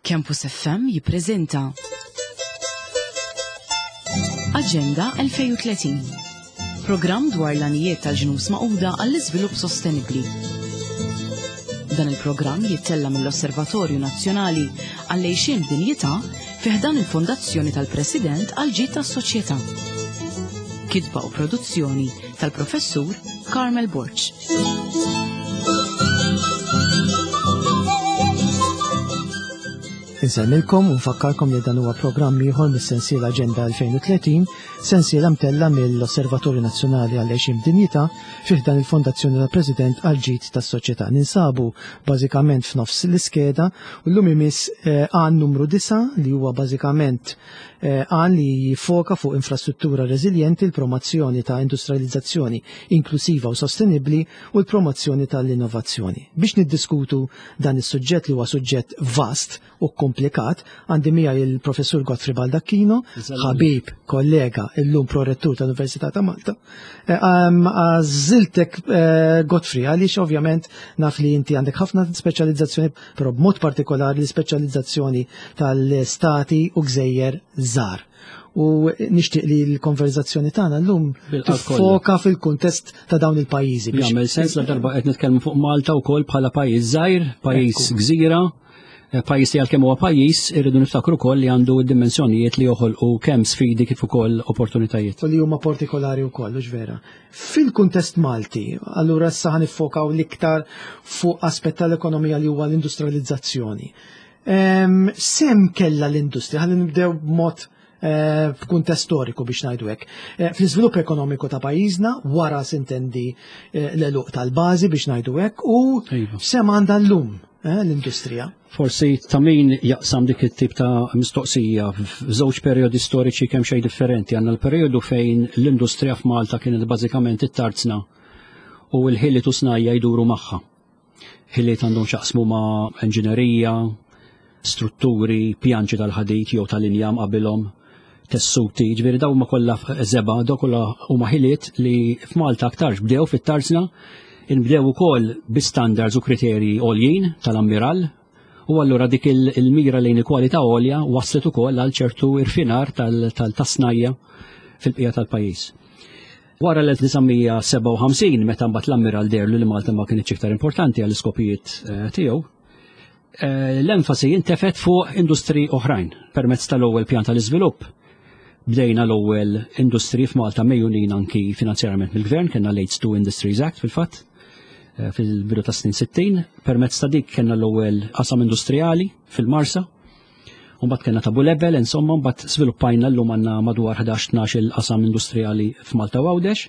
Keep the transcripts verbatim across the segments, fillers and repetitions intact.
Campus F M jippreżenta Aġenda elfejn u tletin. Programm dwar l-għanijiet tal-Ġnus Magħquda għall-iżvilupp sostenibbli. Dan il-programm jittella mill-Osservatorju Nazzjonali għall-Għixien Dinjità fi ħdan il-Fondazzjoni tal-President għall-Ġid tas-Soċjetà. Kitba u produzzjoni tal-Professur Carmel Borg. Insellmilkom u nfakkarkom li dan huwa programm ieħor mis-sensiela Aġenda elfejn u tletin, sensiela mtella mill-Osservatorju Nazzjonali għall-Għixien Dinjità fi ħdan il-Fondazzjoni tal-President għall-Ġid tas-Soċjetà. Ninsabu bażikament f'nofs l-iskeda u llum imiss eh, għan numru disgħa, li huwa bażikament eh, għan li jifoka fuq infrastruttura reżiljenti, l-promozzjoni ta' industrializzazzjoni inklusiva u sostenibbli u l-promozzjoni tal-innovazzjoni. Biex niddiskutu dan is-suġġett, li huwa suġġett vast u komplikat, għandi miegħi il-Professur Godfrey Baldacchino, ħabib, kollega, illum prorettur tal-Università ta' Malta. Eh, għażiltek, eh, Godfrey, għaliex ovvjament naf li inti għandek ħafna speċjalizzazzjoni, però b'mod partikolari l-speċjalizzazzjoni tal-stati u gżejjer żgħar. U nixtieq li l-konverzazzjoni tagħna llum tiffoka fil-kuntest ta' dawn il-pajjiżi. Jagħmel sens la darba qed nitkellmu fuq Malta wkoll bħala pajjiż żgħir, pajjiż gżira, eh, pajjiż li għalkemm huwa pajjiż, irridu niftakru wkoll li għandu dimensjonijiet li joħolqu kemm sfidi kif ukoll opportunitajiet. U li huma partikolari wkoll, hux vera? Fil-kuntest Malti, allura issa ħa niffokaw l-iktar fuq aspett tal-ekonomija li huwa l-industrializzazzjoni. X'sehem kellha l-industrija, ħalli nibdew b'mod eh, f'kuntest storiku biex ngħidu hekk, Eh, fl-iżvilupp ekonomiku ta' pajjiżna, wara sintendi eh, l-għeluq tal-bażi biex ngħidu hekk, u iva. x'sehem għandha llum l-industrija? Forsi ta' min jaqsam dik it-tip ta' mistoqsija f'żewġ perjodi storiċi kemm xejn differenti. Għandna l-perjodu fejn l-industrija f'Malta kienet bażikament it-tarzna u l-ħiliet u snajja jduru magħha. Ħiliet għandhom x'jaqsmu ma' inġinerija, strutturi, pjanċi tal-ħadid jew tal-injam qabilhom, tessuti, ġifieri dawn ma kollha żebgħa, daw kollha huma ħiliet li f'Malta aktarx bdew fit-tarzna, inbdew ukoll bi standards u kriterji għoljin tal-ammiral, u allura dik il-mira lejn il-kwalità għolja waslet ukoll għal ċertu irfinar tal-snajja fil-bqija tal-pajjiż. Wara l-elf disa' mija sebgħa u ħamsin, meta mbagħad l-ammiral deher li Malta ma kienx iktar importanti għall iskopijiet eh, tiegħu, eh, l-enfasi intefet fuq industri oħrajn permezz tal-ewwel pjan tal-iżvilupp. Bdejna l-ewwel industri f'Malta megħjunin anki finanzjarjament mill-gvern, kellna l-Aids to Industries Act fil-fatt, eh, fil-bidu ta' snin sittin, permezz ta' dik kellna l-ewwel qasam industrijali fil-Marsa, u mbagħad kellna ta' Bulebel, insomma, mbagħad sviluppajna, llum għandna madwar ħdax tnax il-qasam industrijali f'Malta u Għawdex.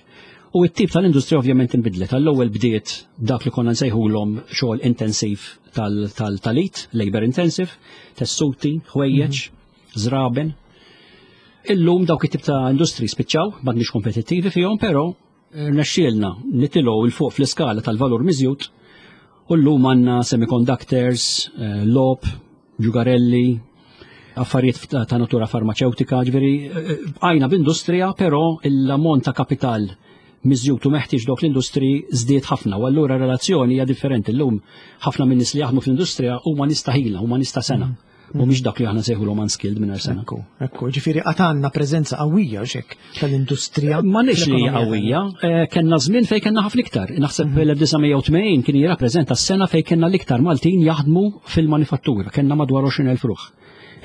U t-tip tal-industrija ovvjament inbidlet. Għall-ewwel bdiet dak li konna nsejħulhom xogħol intensiv tal-id, labor intensive, tessuti, ħwejjeġ, żraben. Illum dawk it-tip ta' industri spiċċaw, m'għadniex kompetittivi fihom, però rnexxielna nitilgħu 'l fuq fl-iskala tal-valur miżjud u llum għandna semiconductors, eh, logħob, ġugarelli, affarijiet ta' natura farmaċewtika, ġifieri eh, għajna b'industrija, però l-ammont ta' kapital miżjud u meħtieġ dok l-industri żdied ħafna u allura relazzjoni hija differenti. Llum ħafna minn nies li jaħdmu fl-industrija huma nies ta' ħila, huma nies ta' sengħa. Mhumiex dak li aħna nsejħulhom unskilled mingħajr sengħa. Ekku, ekku, ġifieri għad għandna preżenza qawwija xek tal-industrija Ma nix li fl-ekonomija. Qawwija, eh, kellna żmien fejn kellna ħafna iktar. Naħseb l-elf disa' mija u tmenin kien jirrappreżenta s-sena fejn kellna l-iktar Maltin jaħdmu fil-manifattura, kellna madwar għoxrin elf ruħ.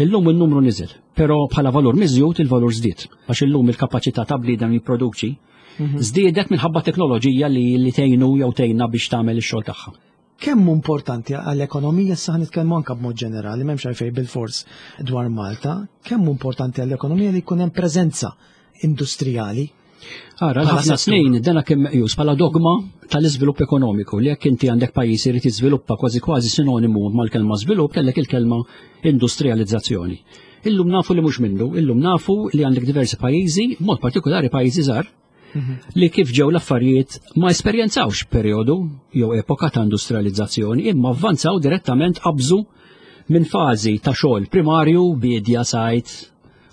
Illum il-numru niżel, però bħala valur miżjud il-valur żdied, għax illum il-kapaċità ta' bniedem jipproduċi żdiedet minħabba teknoloġija li li tgħinu jew tgħinna biex tagħmel ix-xogħol tagħha. Kemm hu importanti għall-ekonomija, issa nitkellmu anke b'mod ġenerali, m'hemmx għalfejn bil-fors dwar Malta, kemm hu importanti għall-ekonomija li jkun hemm preżenza industrijali? Ara, Bħala ħafna settur. snin dana kien meqjus bħala dogma tal-iżvilupp ekonomiku, li jekk inti għandek pajjiż irid jiżviluppa, kważi kważi sinonimu mal-kelma żvilupp kellek il-kelma industrializzazzjoni. Illum nafu li mhux minnu, illum nafu li għandek diversi pajjiżi, mod partikolari pajjiżi żgħar, li kif ġew l-affarijiet ma esperjenzawx perjodu jew epoka ta' industrializzazzjoni, imma avvanzaw direttament, qabżu minn fażi ta' xogħol primarju, biedja, sajd,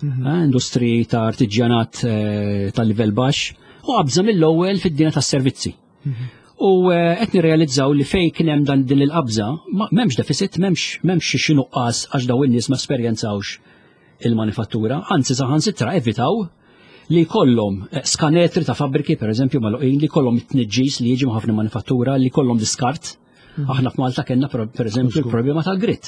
eh, industri ta' artiġjanat eh, ta' livell baxx, u qabża mill-ewwel fid-dinja tas-servizzi. U eh, qed nirrealizzaw li fejn kien hemm dan din il-qabża, m'hemmx deficit, m'hemmx m'hemmx xi nuqqas għax daw in-nies ma esperjenzawx il-manifattura, anzi saħansitra evitaw li kollhom eh, skanetri ta' fabbriki, per eżempju, magħluqin, li kollhom it-tniġġis li jiġi ħafna manifattura, li kollhom diskart. Mhm. Aħna f'Malta kellna per eżempju il-problema tal-grit.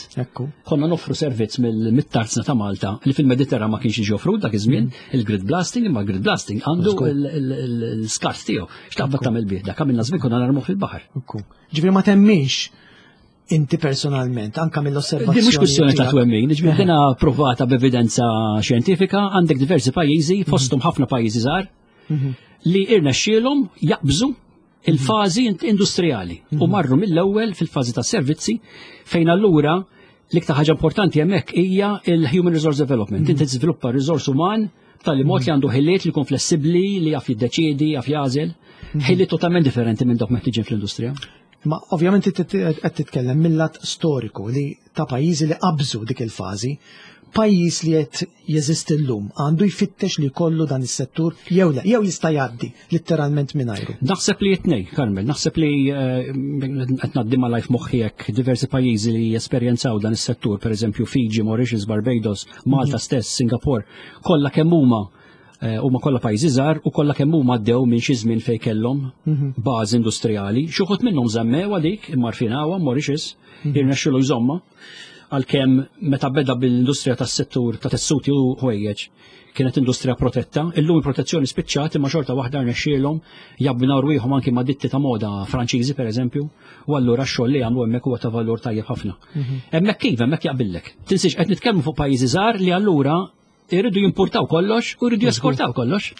Konna noffru servizz mill-tarzna ta' Malta li fil-Mediterran ma kienx jiġi offrut dak iż-żmien, mhm. il-grit blasting, imma grit blasting għandu l-skart tiegħu. X'taqbad tagħmel bih dak għamilna żmien konna narmu fil-baħar. Ġifieri ma temminx inti personalment, anka mill-osservazzjoni. Din mhux kwistjoni ta' twemmin, ġifieri dina provata b'evidenza xjentifika, għandek diversi pajjiżi, mhm. fosthom ħafna pajjiżi żgħar, mhm. li irnexxielhom jaqbżu il-fażi industrijali u mhm. marru mill-ewwel fil-fażi ta' servizzi fejn allura l-iktar ħaġa importanti hemmhekk hija il-human resource development. Inti tiżviluppa riżors uman tal mod li għandu ħiliet li jkun flessibbli, li jaf jiddeċiedi, jaf jagħżel, ħiliet totalment differenti minn dawk meħtieġin fl-industrija. Ma ovvjament qed titkellem mill-lat storiku li ta' pajjiżi li qabżu dik il-fażi, pajjiż li qed jeżisti llum għandu jfittex li jkollu dan is-settur jew le, jew jista' jgħaddi letteralment mingħajru. Naħseb li it-tnejn, Carmel, naħseb li eh, qed ngħaddi ma lajf moħħi hekk diversi pajjiżi li jesperjenzaw dan is-settur, pereżempju Fiji, Mauritius, Barbados, Malta mhm. stess, Singapore, kollha kemm huma Eh, huma kollha pajjiżi żgħar u kollha kemm huma għaddew minn xi żmien fejn kellhom mhm. bażi industrijali. Xi wħud minnhom żammew għalik imma rfinawha Mauritius mhm. irnexxielu jżomma għalkemm meta beda bil-industrija tas-settur ta' tessuti u ħwejjeġ kienet industrija protetta, illum il-protezzjoni spiċċat imma xorta waħda rnexxielhom jabbinaw rwieħhom anki ma' ditti ta' moda Franċiżi pereżempju, u allura x-xogħol li jagħmlu hemmhekk huwa ta' valur tajjeb ħafna. Mhm. Hemmhekk kif hemmhekk jaqbillek. Tinsiex qed nitkellmu fuq pajjiżi żgħar li allura irridu jimportaw kollox u jridu jesportaw kollox.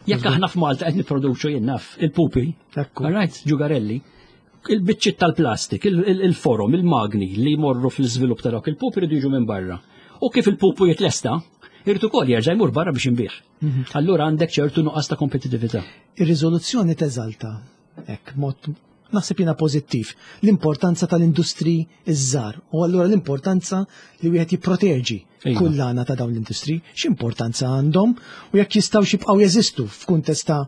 Jekk aħna f'Malta qed nipproduċu jien naf il-pupi, right, ġugarelli, il-biċċiet tal-plastik, il-forom, il-magni li jmorru fil-żvilupp ta' dawk il-pupi jridu jiġu minn barra. U kif il-pupu jitlesta, irid ukoll jerġa' jmur barra biex inbih. Mhm. Allura għandek ċertu nuqqas ta' kompetitività. Ir-riżoluzzjoni teżalta hekk mod naħseb jiena pożittiv l-importanza tal-industri iż-żgħar u allura l-importanza li wieħed jipproteġi iva. kullana ta' dawn l-industri, x'importanza għandhom u jekk jistgħu jibqgħu jeżistu f'kuntest ta'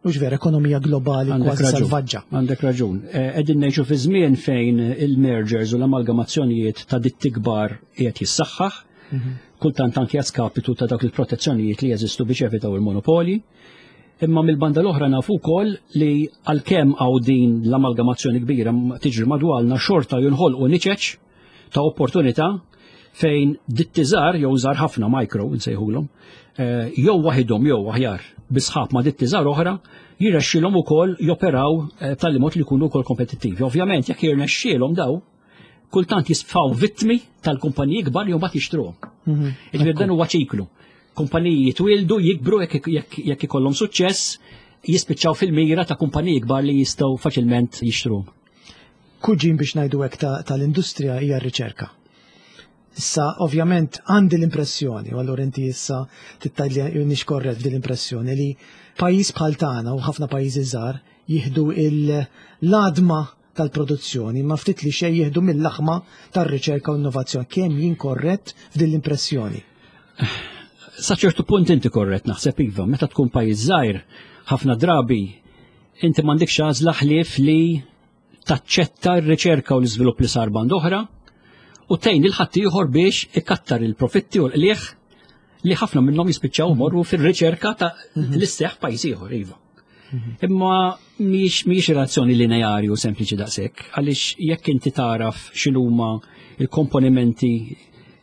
mhux vera ekonomija globali kważi salvaġġa. Għandek raġun. Qegħdin ngħixu fi żmien fejn il-mergers u l-amalgamazzjonijiet ta' ditti kbar qiegħed jissaħħaħ, mhm. kultant anke skapitu ta' dawk il-protezzjonijiet li jeżistu biex evitaw il-monopoli. Imma mill-banda l-oħra nafu wkoll li għalkemm hawn din l-amalgamazzjoni kbira tiġri madwarna xorta jinħolqu niċeċ ta' opportunità fejn ditti żgħar jew żgħar ħafna micro nsejħulhom, eh, jew waħidhom jew aħjar bi sħab ma' ditti żgħar oħra jirnexxielhom ukoll joperaw eh, tal mod li jkunu wkoll kompetittivi. Ovvjament jekk jirnexxielhom daw, kultant jisfaw vittmi tal-kumpaniji kbar jew mbagħad jixtruhom. Mhm. Jiġifieri dan huwa ċiklu. Kumpaniji jitwildu, jikbru jekk ikollhom suċċess, jispiċċaw fil-mira ta' kumpaniji kbar li jistgħu faċilment jixtruhom. Kuġin biex ngħidu hekk tal-industrija hija r-riċerka. Issa, ovvjament, għandi l-impressjoni, u allura inti issa tittajli nix korrett f'din l-impressjoni li pajjiż bħal tagħna u ħafna pajjiżi żgħar jieħdu l-għadma tal-produzzjoni, ma ftit li xejn jieħdu mill-laħma tar-riċerka u innovazzjoni. Kemm jien korrett f'din l-impressjoni? Sa ċertu punt inti korrett naħseb iva, meta tkun pajjiż żgħir, ħafna drabi inti m'għandekx għażla ħlief li taċċetta r-riċerka u l-iżvilupp li sar band oħra u tgħin lil ħaddieħor biex ikattar il-profitti u l-qligħ li ħafna minnhom jispiċċaw morru fir-riċerka ta' mhm. l-isseħ pajjiż ieħor iva. Mhm. Imma mhijiex mhijiex relazzjoni lineari u sempliċi daqshekk, għaliex jekk inti taraf x'inhuma il-komponimenti,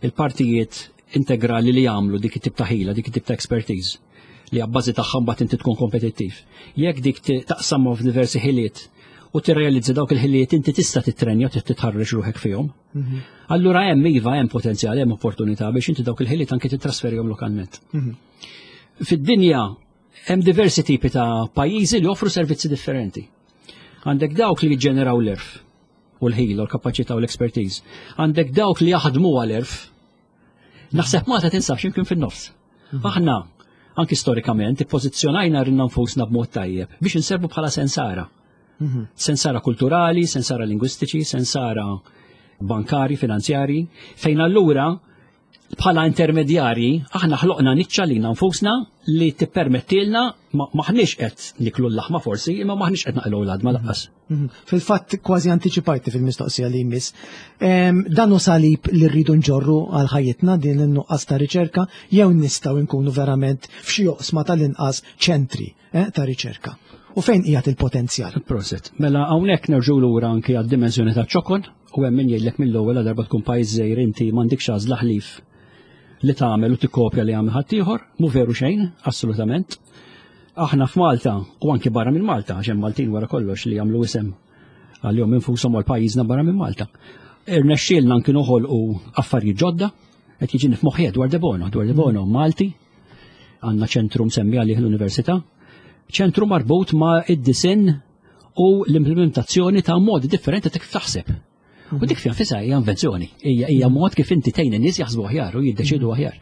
il-partijiet integrali li jagħmlu dik it-tip ta' ħila, dik it-tip ta' expertise li għabbażi tagħha mbagħad inti tkun kompetittiv. Jekk dik taqsamhom f'diversi ħiliet u tirrealizza dawk il-ħiliet inti tista' titrenja u titħarreġ ruħek fihom. Mhm. Allura hemm iva hemm potenzjal, hemm opportunità biex inti dawk il-ħiliet anke titrasferihom lokalment. Mhm. Fid-dinja hemm diversi tipi ta' pajjiżi li joffru servizzi differenti. Għandek dawk li jiġġeneraw l-erf u l-ħila u l-kapaċità u l-expertise. Għandek dawk li jaħdmu għal-erf. Naħseb Malta tinsab x'imkien fin-nofs. Mhm. Aħna anki storikament ippożizzjonajna rinna nfusna b'mod tajjeb biex inservu bħala sensara. Mhm. Sensara kulturali, sensara lingwistiċi, sensara bankari, finanzjari, fejn allura Bħala intermedjarji, aħna ħloqna niċċa lilna nfusna li tippermettilna maħniex qed niklu l-laħma forsi, imma maħniex qed naqilgħu l-għadma lanqas. Mhm. Fil-fatt kważi antiċipajti fil-mistoqsija li jmiss. Dan hu salib li rridu nġorru għal ħajjitna din in-nuqqas ta' riċerka jew nistgħu nkunu verament f'xi oqsma tal-inqas ċentri eh, ta' riċerka. U fejn qiegħed il-potenzjal? Prosit. Mela hawnhekk nerġgħu lura anki għad-dimensjoni ta' ċokon u hemm min jgħidlek mill-ewwel darba tkun pajjiż żgħir inti m'għandikx għażla ħlief li tagħmel u tikkopja li għamel ħaddieħor, mhu veru xejn, assolutament. Aħna f'Malta u anki barra minn Malta, għax hemm Maltin wara kollox li jagħmlu isem għalihom infushom għal pajjiżna barra minn Malta. Irnexxielna anki noħolqu affarijiet ġodda, qed jiġini f'moħħi Edward de Bono, Edward de Bono Malti, għandna ċentru msemmi għalih l-università, ċentru marbut ma' id-disinn u l-implementazzjoni ta' modi differenti ta' kif taħseb. U dik fiha nfisha hija invenzjoni, hija hija mod kif inti tgħin in-nies jaħsbu aħjar u jiddeċidu aħjar.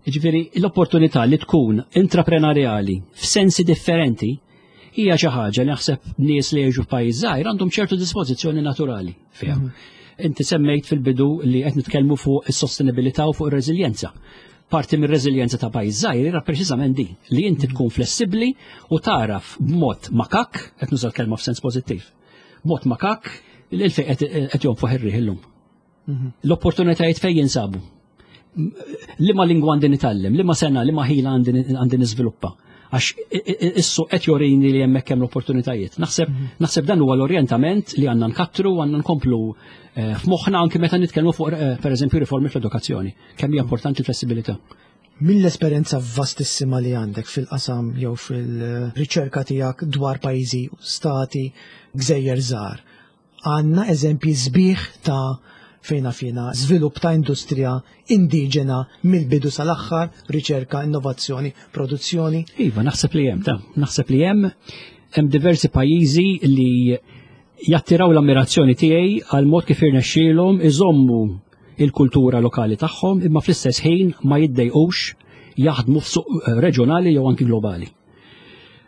Ġifieri l-opportunità li tkun intraprenarjali f'sensi differenti hija xi ħaġa li naħseb nies li jgħixu f'pajjiż żgħir għandhom ċertu dispożizzjoni naturali fiha. Inti semmejt fil-bidu li qed nitkellmu fuq is-sostenibilità u fuq ir-reżiljenza. Parti mir-reżiljenza ta' pajjiż żgħir era preċiżament din, li inti tkun flessibbli u taraf b'mod makak, qed nuża l-kelma f'sens pożittiv, b'mod makak il fejn qed jonfoħ ir-riħ illum. L-opportunitajiet fejn jinsabu. Liema lingwa għandi nitgħallem, liema sengħa, liema ħila għandi niżviluppa. Għax issu qed jorini li hemmhekk hemm l-opportunitajiet. Naħseb naħseb dan huwa l-orjentament li għandna nkattru għandna nkomplu eh, f'moħħna anke meta nitkellmu fuq eh, pereżempju riformi fl-edukazzjoni. Kemm hija importanti l-flessibilità. Mill-esperjenza vastissima li għandek fil-qasam jew fil-riċerka tiegħek dwar pajjiżi, stati, gżejjer żgħar, għandna eżempji sbieħ ta' fejna fina żvilupp ta' industrija indiġena mill-bidu sal-aħħar, riċerka, innovazzjoni, produzzjoni. Iva, naħseb li hemm, ta' naħseb li hemm hemm diversi pajjiżi li jattiraw l-ammirazzjoni tiegħi għal mod kif irnexxielhom iżommu il-kultura lokali tagħhom imma fl-istess ħin ma jiddejqux jaħdmu f'suq reġjonali jew anki globali.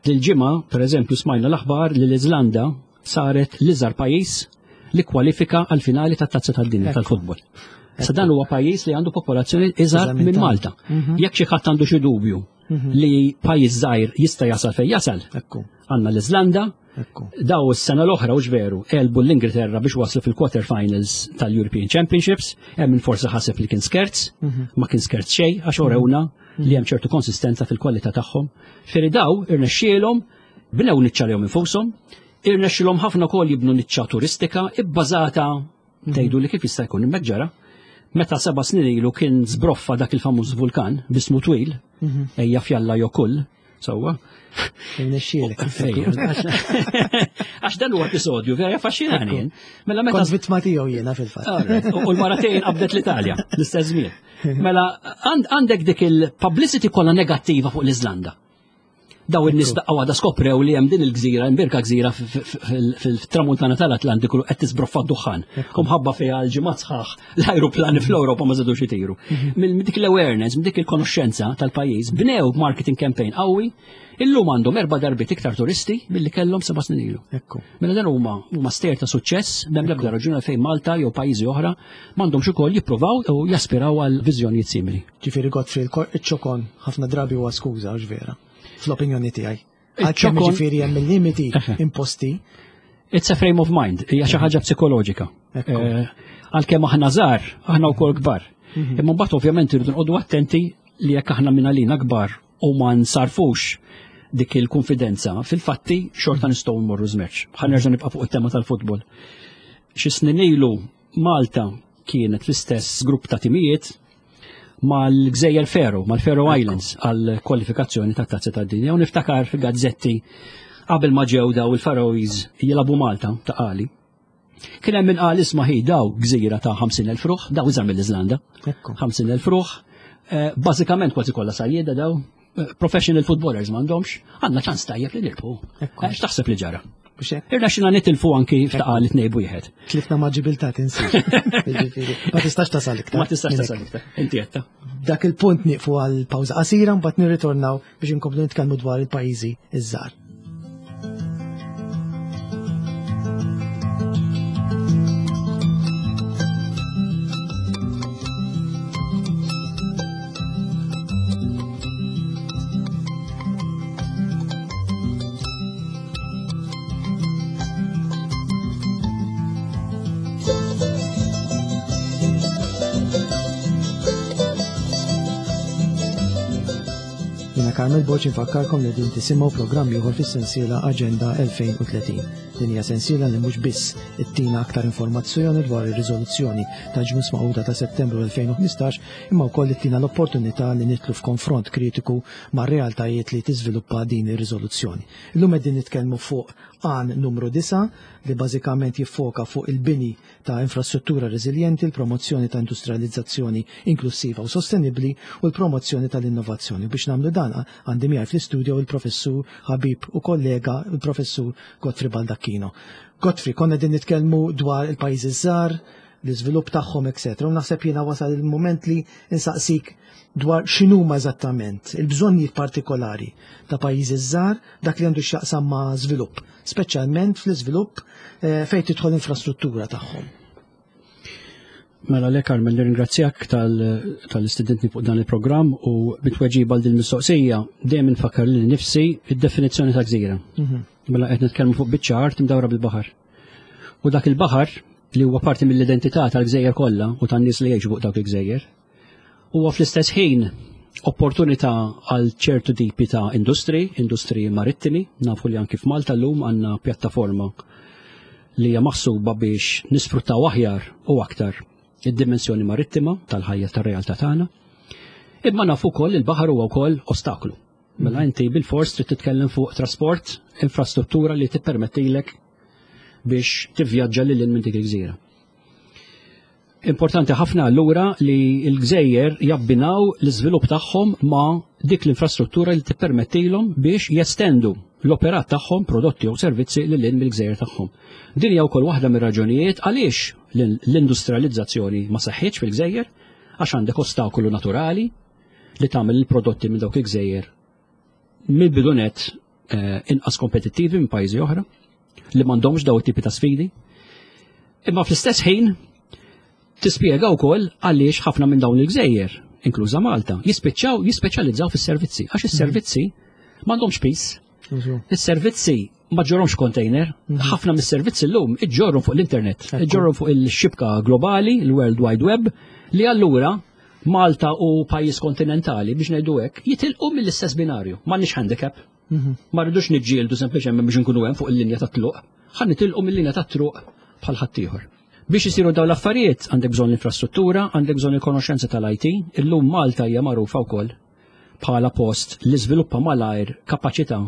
Dil-ġimgħa, pereżempju, smajna l-aħbar li l-Iżlanda saret l-iżgħar pajjiż li kwalifika għal finali tat-Tazza tad-Dinja tal-futbol. Sa dan huwa pajjiż li għandu popolazzjoni iżgħar minn Malta. Jekk xi ħadd għandu xi dubju li pajjiż żgħir jista' jasal fejn jasal. Għandna l-Iżlanda, daw is-sena l-oħra hux veru, għelbu l-Ingilterra biex waslu fil-quarter finals tal-European Championships, hemm min forsi ħaseb li kien skerz, ma kien skerz xejn għax orewna li hemm ċertu konsistenza fil-kwalità tagħhom. Ġifieri daw irnexxielhom bnew niċċa lihom infushom, irnexxielhom ħafna wkoll jibnu niċċa turistika ibbażata tgħidu li kif jista' jkun hemmhekk ġara. Meta seba' snin ilu kien żbroffa dak il-famuż vulkan bismu twil, ejja fjalla jokull, sewwa. Irnexxielek. Għax dan huwa episodju vera affaxxinani. Mela meta Kont vittma tiegħu jiena fil-fatt. U l-maratejn qabdet l-Italja l-istess żmien. Mela għandek dik il-publicity kollha negattiva fuq l-Iżlanda. Daw in-nies daqqa waħda skoprew li hemm din il-gżira, imbirka gżira fil-tramuntana tal-Atlantiku qed tisbroffa d-duħħan. U mħabba fiha l-ġimgħat sħaħ l-ajruplani fl-Ewropa ma żadux itiru. Minn dik l-awareness, minn dik il-konoxxenza tal-pajjiż, bnew marketing campaign qawwi, illum għandhom erba' darbiet iktar turisti milli kellhom seba' snin ilu. Mela dan huma huma stejjer ta' suċċess, m'hemm l-ebda raġuni fejn Malta jew pajjiżi oħra m'għandhomx ukoll jippruvaw u jaspiraw għal viżjonijiet simili. Ġifieri Godfrey, iċ-ċokon ħafna drabi huwa skuża għax vera. Fl-opinjoni tiegħi. Għalkemm ġifieri hemm il-limiti imposti. It's a frame of mind, hija xi ħaġa psikoloġika. Għalkemm aħna żgħar, aħna wkoll kbar. Imma mbagħad ovvjament irridu nqogħdu attenti li jekk aħna minn għalina kbar u ma nsarfux dik il-konfidenza, fil-fatti xorta nistgħu nmorru żmerċ. Ħa nerġa' nibqa' fuq it-tema tal-futbol. Xi snin ilu Malta kienet fl-istess grupp ta' timijiet mal-Gżejjer Faroe, mal-Faroe Islands għal kwalifikazzjoni ta' Tazza tad-Dinja. U niftakar fil-gazzetti qabel ma ġew daw il-Faroese jilagħbu Malta ta' qali. Kien hemm min qal isma' ħi daw gżira ta' ħamsin elf ruħ, daw iżgħar mill-Iżlanda. ħamsin elf ruħ, bażikament kważi kollha sajjieda daw, professional footballers m'għandhomx, għandna ċans tajjeb li nirbħu. X'taħseb li ġara? Irna xina nitilfu anki f'taqal tnejn b'wieħed. Tlifna ma' ġibilta tinsiex. Ġifieri, ma tistax tasal iktar. Ma tistax tasal iktar. Inti għedta. Dak il-punt nieqfu għal pawża qasira mbagħad nirritornaw biex inkomplu nitkellmu dwar il-pajjiżi iż-żgħar. Jiena Carmel Borg infakkarkom li din tisimgħu programm ieħor fis-sensiela Aġenda elfejn u tletin. Din hija sensiela li mhux biss ittina aktar informazzjoni dwar ir-riżoluzzjoni tal-Ġnus Magħquda ta' Settembru elfejn u ħmistax, imma wkoll ittina l-opportunità li nidħlu f'konfront kritiku mar-realtajiet li tiżviluppa din ir-riżoluzzjoni. Illum qegħdin nitkellmu fuq għan numru disgħa, li bażikament jiffoka fuq il-bini ta' infrastruttura reżiljenti, il-promozzjoni ta' industrializzazzjoni inklusiva u sostenibli u l-promozzjoni tal-innovazzjoni. Biex nagħmlu dan, għandi miegħi fl-istudio il-professur ħabib u kollega, il-professur Godfrey Baldacchino. Godfrey, konna din nitkellmu dwar il-pajjiżi żgħar, l-iżvilupp tagħhom, eċetera. U naħseb jiena wasal il-moment li insaqsik dwar x'inhuma eżattament il-bżonnijiet partikolari ta' pajjiżi żgħar dak li għandu x'jaqsam ma' żvilupp, speċjalment fl-iżvilupp eh, fejn tidħol infrastruttura tagħhom. Mela le, Carmel, nirringrazzjak tal-istedinitni fuq dan il-programm u bit-tweġiba għal din mistoqsija dejjem nfakkar lil nifsi id-definizzjoni ta' gżira. Mhm. Mela qed nitkellmu fuq biċċa art imdawra bil-baħar. U dak il-baħar li huwa parti mill-identità tal-gżejjer kollha u tan-nies li jgħixu fuq dawk il-gżejjer, huwa fl-istess ħin opportunità għal ċertu tipi ta' industri, industri marittimi. Nafu li anki f'Malta llum għandna pjattaforma li hija maħsuba biex nisfruttaw aħjar u aktar id-dimensjoni marittima tal-ħajja, tar-realtà tagħna. Imma nafu wkoll il-baħar huwa wkoll ostaklu. Mela inti bil-fors trid titkellem fuq trasport, infrastruttura li tippermettilek biex tivvjaġġa lil minn dik il-gżira. Importanti ħafna allura li l-gżejjer jabbinaw l-iżvilupp tagħhom ma' dik l-infrastruttura li tippermettilhom biex jestendu l-operat tagħhom, prodotti jew servizzi lil hinn mill-gżejjer tagħhom. Din hija wkoll waħda mir-raġunijiet għaliex l-industrializzazzjoni ma seħħitx fil-gżejjer, għax għandek ostakolu naturali li tagħmel il-prodotti minn dawk il-gżejjer mill-bidu nett eh, inqas kompetittivi minn pajjiżi oħra li m'għandhomx daw it-tipi ta' sfidi. Imma fl-istess ħin tispjega wkoll għaliex ħafna minn dawn il-gżejjer, inkluża Malta, jispiċċaw jispeċjalizzaw fis-servizzi, għax is-servizzi m'għandhomx pis. Is-servizzi ma ġġorrhomx container, ħafna mis-servizzi llum iġġorhom fuq l-internet, iġġorhom fuq il-xibka globali, il-World Wide Web, li allura Malta u pajjiż kontinentali, biex ngħidu hekk, jitilqu mill-istess binarju, m'għandniex handicap. Ma rridux niġġieldu sempliċement biex nkunu hemm fuq il-linja ta' tluq, ħa nitilqu mill-linja ta' tluq bħal ħaddieħor. Biex isiru dawn l-affarijiet għandek bżonn l-infrastruttura, għandek bżonn il-konoxenza tal-I T. Illum Malta hija magħrufa wkoll bħala post li żviluppa malajr kapaċità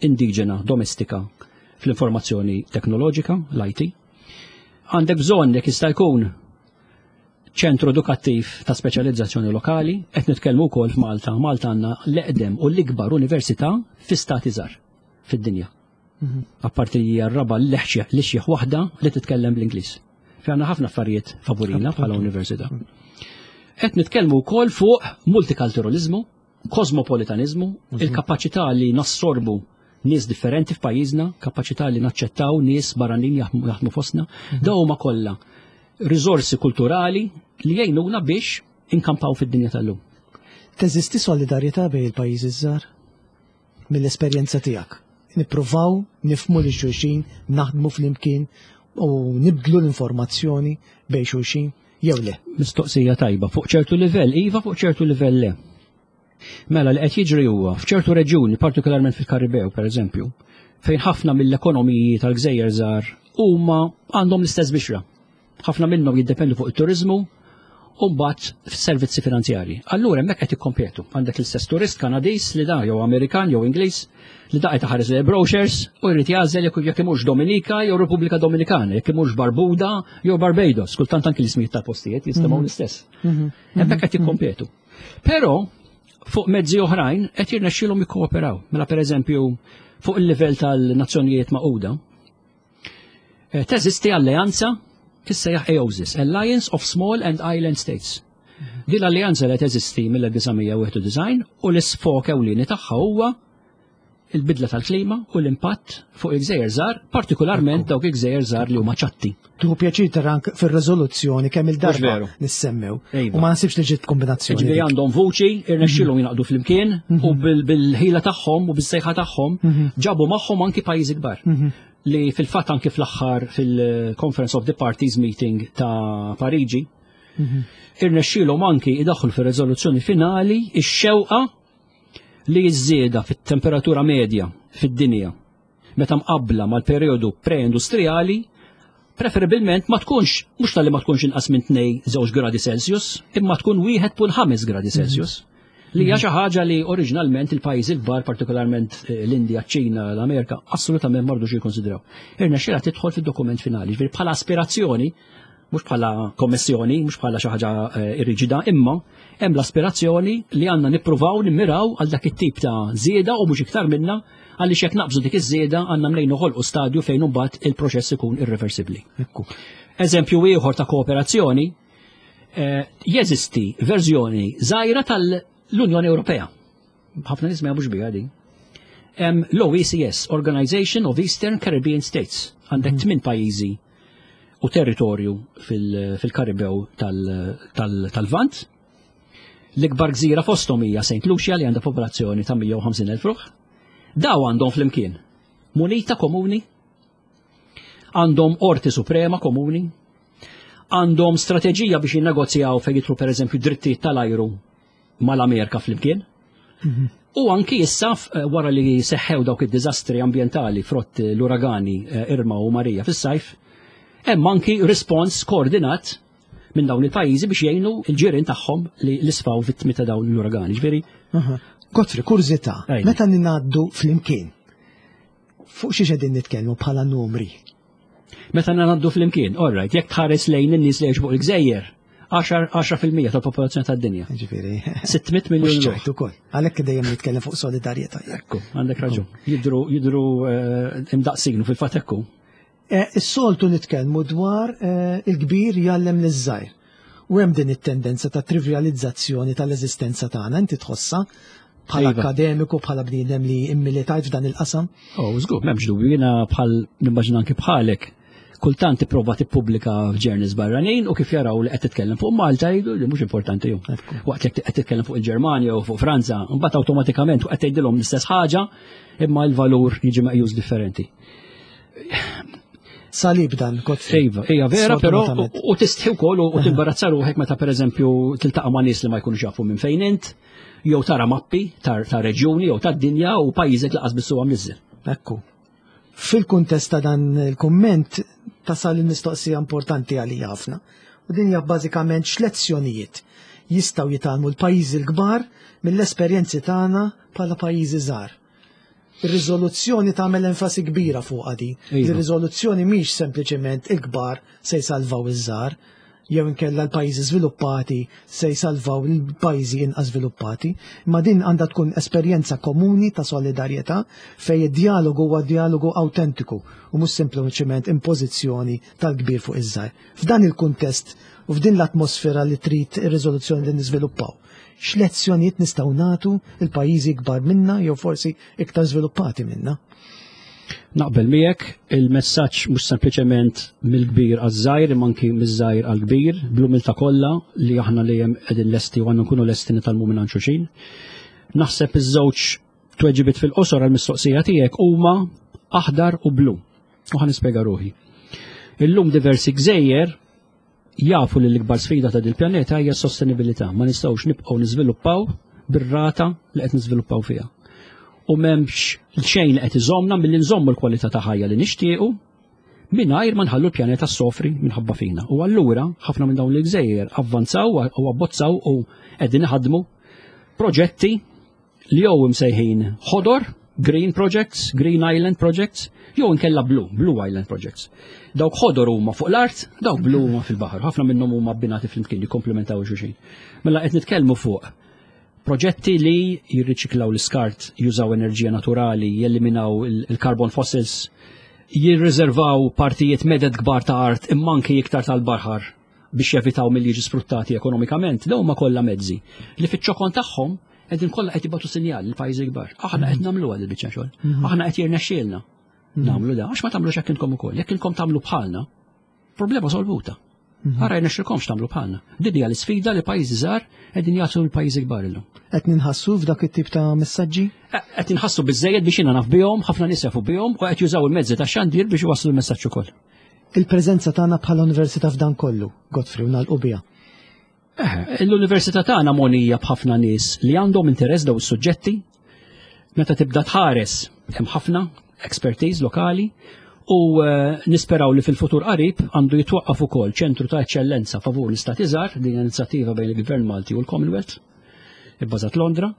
indiġena domestika fl-informazzjoni teknoloġika, l-I T. Għandek bżonn, jekk jista' jkun, ċentru edukattiv ta' speċjalizzazzjoni lokali. Qed nitkellmu wkoll f'Malta. Malta għandna l-eqdem u l-ikbar università fi stati żgħar fid-dinja. Apparti li hija r-raba' l-ixjeħ waħda li titkellem bl-Ingliż. Fi għandna ħafna affarijiet favorina bħala università. Qed nitkellmu wkoll fuq multikulturalizmu, kosmopolitanizmu, il-kapaċità li nassorbu nies differenti f'pajjiżna, kapaċità li naċċettaw nies barranin jaħdmu jaħdmu fostna, dawn huma kollha riżorsi kulturali li jgħinuna biex inkampaw fid-dinja tal-lum. Teżisti solidarjetà bejn il-pajjiżi żgħar mill-esperjenza tiegħek? Nippruvaw nifhmu lil xulxin, naħdmu flimkien u nibdlu l-informazzjoni bejn xulxin jew le? Mistoqsija tajba. Fuq ċertu livell iva, fuq ċertu livell le. Mela li qed jiġri huwa f'ċertu reġjuni, partikolarment fil-Karibew pereżempju, fejn ħafna mill-ekonomiji tal-gżejjer żgħar huma għandhom l-istess bixra. Ħafna minnhom jiddependu fuq it-turizmu u mbagħad f'servizzi finanzjarji. Allura hemmhekk qed ikkompetu. Għandek l-istess turist Kanadiż li da jew Amerikan jew Ingliż li da qed iħares lejn brochures u jrid jagħżel jekk jekk imurx Dominika jew Repubblika Dominikana, jekk imurx Barbuda jew Barbados. Kultant anki l-ismijiet tal-postijiet jistemgħu l-istess. Hemmhekk qed jikkompetu. Però fuq mezzi oħrajn qed jirnexxielhom jikkooperaw. Mela pereżempju fuq il-livell tal-Nazzjonijiet Magħquda eh, teżisti alleanza tissejjaħ AOSIS, Alliance of Small and Island States. Din l-alleanza li teżisti mill-elf disa' mija u wieħed u disgħin u l-isfok ewlieni tagħha huwa il-bidla tal-klima u l-impatt fuq il-gżejjer żgħar, partikolarment dawk il-gżejjer żgħar li huma ċatti. Tieħu pjaċir tara anke fir-riżoluzzjoni kemm il-darba Veru. nissemmew. Iva. U ma nasibx li ġiet kombinazzjoni Ġifieri dik. għandhom vuċi, irnexxielhom jingħaqdu flimkien u bil- bil-ħila tagħhom u bis-sejħa tagħhom ġabu magħhom anki pajjiżi kbar. Li fil-fatt anki fl-aħħar fil-Conference of the Parties meeting ta' Pariġi, irnexxielhom anki idaħħlu fir-riżoluzzjoni finali ix-xewqa li ż-żieda fit-temperatura medja fid-dinja meta mqabbla mal-perjodu pre-industrijali preferibilment ma tkunx, mhux talli ma tkunx inqas minn tnejn żewġ gradi Celsius, imma tkun wieħed punt ħames gradi Celsius. Li hija xi ħaġa li oriġinalment il-pajjiżi l-kbar, partikolarment eh, l-Indja, ċ-Ċina, l-Amerika, assolutament ma rdux jikkonsidraw. Irnexxielha tidħol fid-dokument finali, ġifieri bħala aspirazzjoni, mhux bħala kommissjoni, mhux bħala xi ħaġa eh, riġida, imma hemm l-aspirazzjoni li għandna nippruvaw nimmiraw għal dak it-tip ta' żieda u mhux iktar minna, għaliex jekk naqbżu dik iż-żieda għandna mnejn noħolqu stadju fejn imbagħad il-proċess ikun irreversibbli. Ekku. Eżempju ieħor ta' kooperazzjoni, eh, jeżisti verżjoni żgħira tal-Unjoni Ewropea. Ħafna nies ma jafux biha din. Hemm l-O E C S, Organization of Eastern Caribbean States. Għandek tmien pajjiżi u territorju fil- fil-Karibew tal-Lvant. L-ikbar gżira fosthom hija Saint Lucia, li għandha popolazzjoni ta' mija u ħamsin elf ruħ. Daw għandhom flimkien munita komuni, għandhom qorti suprema komuni, għandhom strateġija biex jinnegozjaw fejn jidħlu, per eżempju, drittijiet tal-ajru mal-Amerika flimkien. U anki issa eh, wara li seħħew dawk id-diżastri ambjentali frott l-uragani eh, Irma u Marija fis-sajf, hemm anki respons koordinat minn dawn il-pajjiżi biex jgħinu il-ġirien tagħhom li li sfaw vittmi ta' dawn l-uragani. Ġifieri, Aha. Godfrey, kurżità, Ejja. meta ninaddu flimkien, fuq xi qegħdin nitkellmu bħala numri? Meta ngħaddu flimkien, all right, jekk tħares lejn in-nies li jgħixu fuq il-gżejjer, għaxra fil-mija tal-popolazzjoni tad-dinja. Ġifieri. sitt mitt miljun Mhux ruħ. ċajt ukoll. Għalhekk dejjem nitkellem fuq solidarjetà. Ekku, għandek raġun. Jidru, jidru eh, imdaqsin u fil-fatt ekku. Eh, Is-soltu nitkellmu dwar eh, il-kbir jgħallem liż-żgħir. U hemm din it-tendenza ta' trivializzazzjoni tal-eżistenza tagħna, inti tħossha bħala Iva. akademiku, bħala bniedem li immilitajt f'dan il-qasam? Oh, żgur, m'hemmx dubju, jiena bħal nimmaġina anki bħalek. Kultant tipprova tippubblika f'journals barranin u kif jaraw li qed titkellem fuq Malta jgħidu li mhux importanti ju. Ekku. Waqt li qed titkellem fuq il-Ġermanja u fuq Franza, mbagħad awtomatikament qed tgħidilhom l-istess ħaġa, imma l-valur jiġi meqjus differenti. Salib dan, Godfrey. Iva, hija vera, però Sfortunatament. u tistħi wkoll u timbarazza ruħek meta, pereżempju, tiltaqa' ma' nies li ma jkunux jafu minn fejn int, jew tara mappi ta' ta' reġjuni jew tad-dinja u pajjiżek lanqas biss huwa mniżżel. Ekku. Fil-kuntest ta' dan il-komment tasal il-mistoqsija importanti għalija ħafna. U din hija bażikament x'lezzjonijiet jistgħu jitgħallmu l-pajjiżi l-kbar mill-esperjenzi tagħna bħala pajjiżi żgħar. Ir-riżoluzzjoni tagħmel enfasi kbira fuq din. Iva. Ir-riżoluzzjoni mhix sempliċement il-kbar se jsalvaw iż-żgħar jew inkella l-pajjiżi żviluppati se jsalvaw il-pajjiżi inqas żviluppati, imma din għandha tkun esperjenza komuni ta' solidarjetà fejn id-dialogu huwa dialogu autentiku u mhux sempliċement impożizzjoni tal-kbir fuq iż-żgħir. F'dan il-kuntest u f'din l-atmosfera li trid ir-riżoluzzjoni li niżviluppaw, x'lezzjonijiet nistgħu nagħtu il-pajjiżi kbar minna jew forsi iktar żviluppati minna? Naqbel miegħek, il-messaġġ mhux sempliċement mill-kbir għaż-żgħir imma anki miż-żgħir għall-kbir, bl-umiltà kollha li aħna li hemm qegħdin lesti u għandna nkunu lesti nitgħallmu minn xulxin. Naħseb iż-żewġ tweġibiet fil-qosor għall-mistoqsija tiegħek huma aħdar u blu. U ħa nispjega ruħi. Illum diversi gżejjer jafu li l-ikbar sfida ta' dil-pjaneta hija s-sostenibilità. Ma nistgħux nibqgħu niżviluppaw bir-rata li qed niżviluppaw fiha. U m'hemmx xejn li qed iżommna milli nżommu l-kwalità ta' ħajja li nixtiequ mingħajr ma nħallu l-pjaneta sofri minħabba fina. U allura ħafna minn dawn l-gżejjer avvanzaw u abbozzaw u qegħdin iħadmu proġetti li jew imsejħin ħodor, green projects, green island projects, jew inkella blue, blue island projects. Dawk ħodor huma fuq l-art, dawk blu huma fil-baħar. Ħafna minnhom huma abbinati flimkien, jikkomplementaw xulxin. Mela qed nitkellmu fuq proġetti li jirriċiklaw l-iskart, jużaw enerġija naturali, jeliminaw il-carbon fossils, jirriservaw partijiet meded kbar ta' art imma anki iktar tal-baħar biex jevitaw milli jiġu sfruttati ekonomikament. Dawn huma kollha mezzi li fiċ-ċokon tagħhom qegħdin kollha qed jibgħatu sinjal lill-pajjiżi kbar. Aħna qed nagħmlu għal il-biċċa xogħol. Aħna qed jirnexxielna nagħmlu da, għax ma tagħmlux hekk intom ukoll. Jekk inkom tagħmlu bħalna, problema solvuta. Ara jirnexxilkomx tagħmlu bħalna. Din hija l-isfida li pajjiżi żgħar qegħdin jagħtu l-pajjiżi kbar illum. Qed ninħassu f'dak it-tip ta' messaġġi? Qed inħassu biżejjed biex jiena naf bihom, ħafna nies jafu bihom u qed jużaw il-mezzi ta' xandir biex iwasslu l-messaġġ ukoll. Il-preżenza tagħna bħala università f'dan kollu, Godfrey, u nagħlqu biha. Eh, l-università tagħna mogħnija b'ħafna nies li għandhom interess daw is-suġġetti. Meta tibda tħares, hemm ħafna expertise lokali u eh, nisperaw li fil-futur qarib għandu jitwaqqaf ukoll ċentru ta' eċċellenza favur l-istati żgħar, din inizjattiva bejn il-Gvern Malti u l-Commonwealth, ibbażat Londra,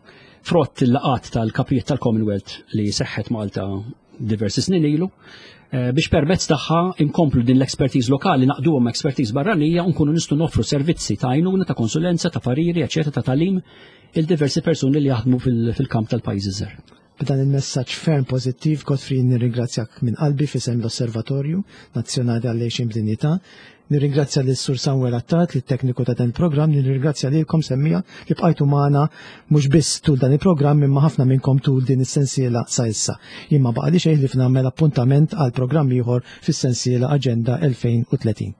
frott il-laqat tal-kapijiet tal-Commonwealth li seħħet Malta diversi snin ilu, eh, biex permezz tagħha inkomplu din l-expertise lokali naqduhom expertise barranija u nkunu nistgħu noffru servizzi ta' għajnuna, ta' konsulenza, ta' pariri, eċetera, ta' tagħlim lil diversi persuni li jaħdmu fil-kamp tal-pajjiżi żgħar. B'dan il-messaġġ ferm pożittiv, Godfrey, nirringrazzjak minn qalbi f'isem l-Osservatorju Nazzjonali għall-Għixien b'Dinjità. Nirringrazzja lil Sur Samuel Attard, li tekniku ta' dan il-programm, nirringrazzja lilkom semmiegħa li bqajtu magħna mhux biss tul dan il-programm, imma ħafna minnkom tul din is-sensiela sa issa. Jien ma baqali xejn ħlief nagħmel appuntament għal programm ieħor fis-sensiela Aġenda elfejn u tletin.